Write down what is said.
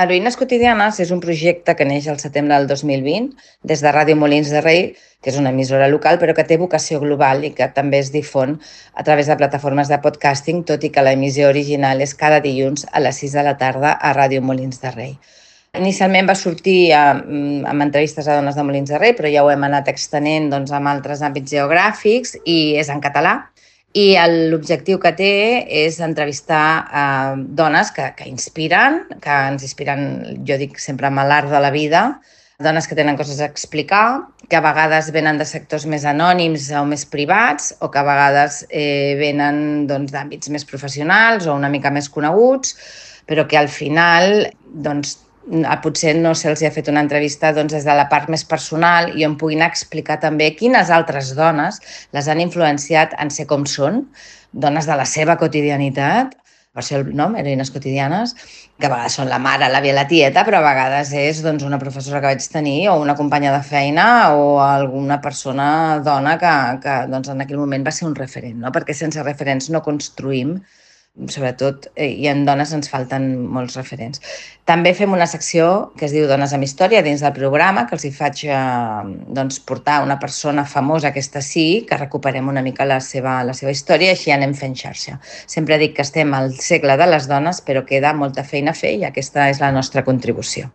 Heroïnes quotidianes és un projecte que neix al setembre del 2020 des de Ràdio Molins de Rei, que és una emissora local, però que té vocació global i que també es difon a través de plataformes de podcasting, tot i que l'emissió original és cada dilluns a les 6 de la tarda a Ràdio Molins de Rei. Inicialment va sortir amb entrevistes a dones de Molins de Rei, però ja ho hem anat extenent doncs, amb altres àmbits geogràfics i és en català. I l'objectiu que té és entrevistar dones que inspiren, que ens inspiren, jo dic sempre, amb l'art de la vida, dones que tenen coses a explicar, que a vegades venen de sectors més anònims o més privats, o que a vegades venen doncs, d'àmbits més professionals o una mica més coneguts, però que al final doncs, potser no se'ls ha fet una entrevista doncs, des de la part més personal i on puguin explicar també quines altres dones les han influenciat en ser com són, dones de la seva quotidianitat, per això el nom, heroïnes quotidianes, que a vegades són la mare, l'àvia, la tieta, però a vegades és doncs, una professora que vaig tenir o una companya de feina o alguna persona dona que doncs, en aquell moment va ser un referent, no? Perquè sense referents no construïm, sobretot, i en dones ens falten molts referents. També fem una secció que es diu Dones amb Història dins del programa, que els hi faig doncs, portar una persona famosa, aquesta sí, que recuperem una mica la seva història i així anem fent xarxa. Sempre dic que estem al segle de les dones, però queda molta feina a fer i aquesta és la nostra contribució.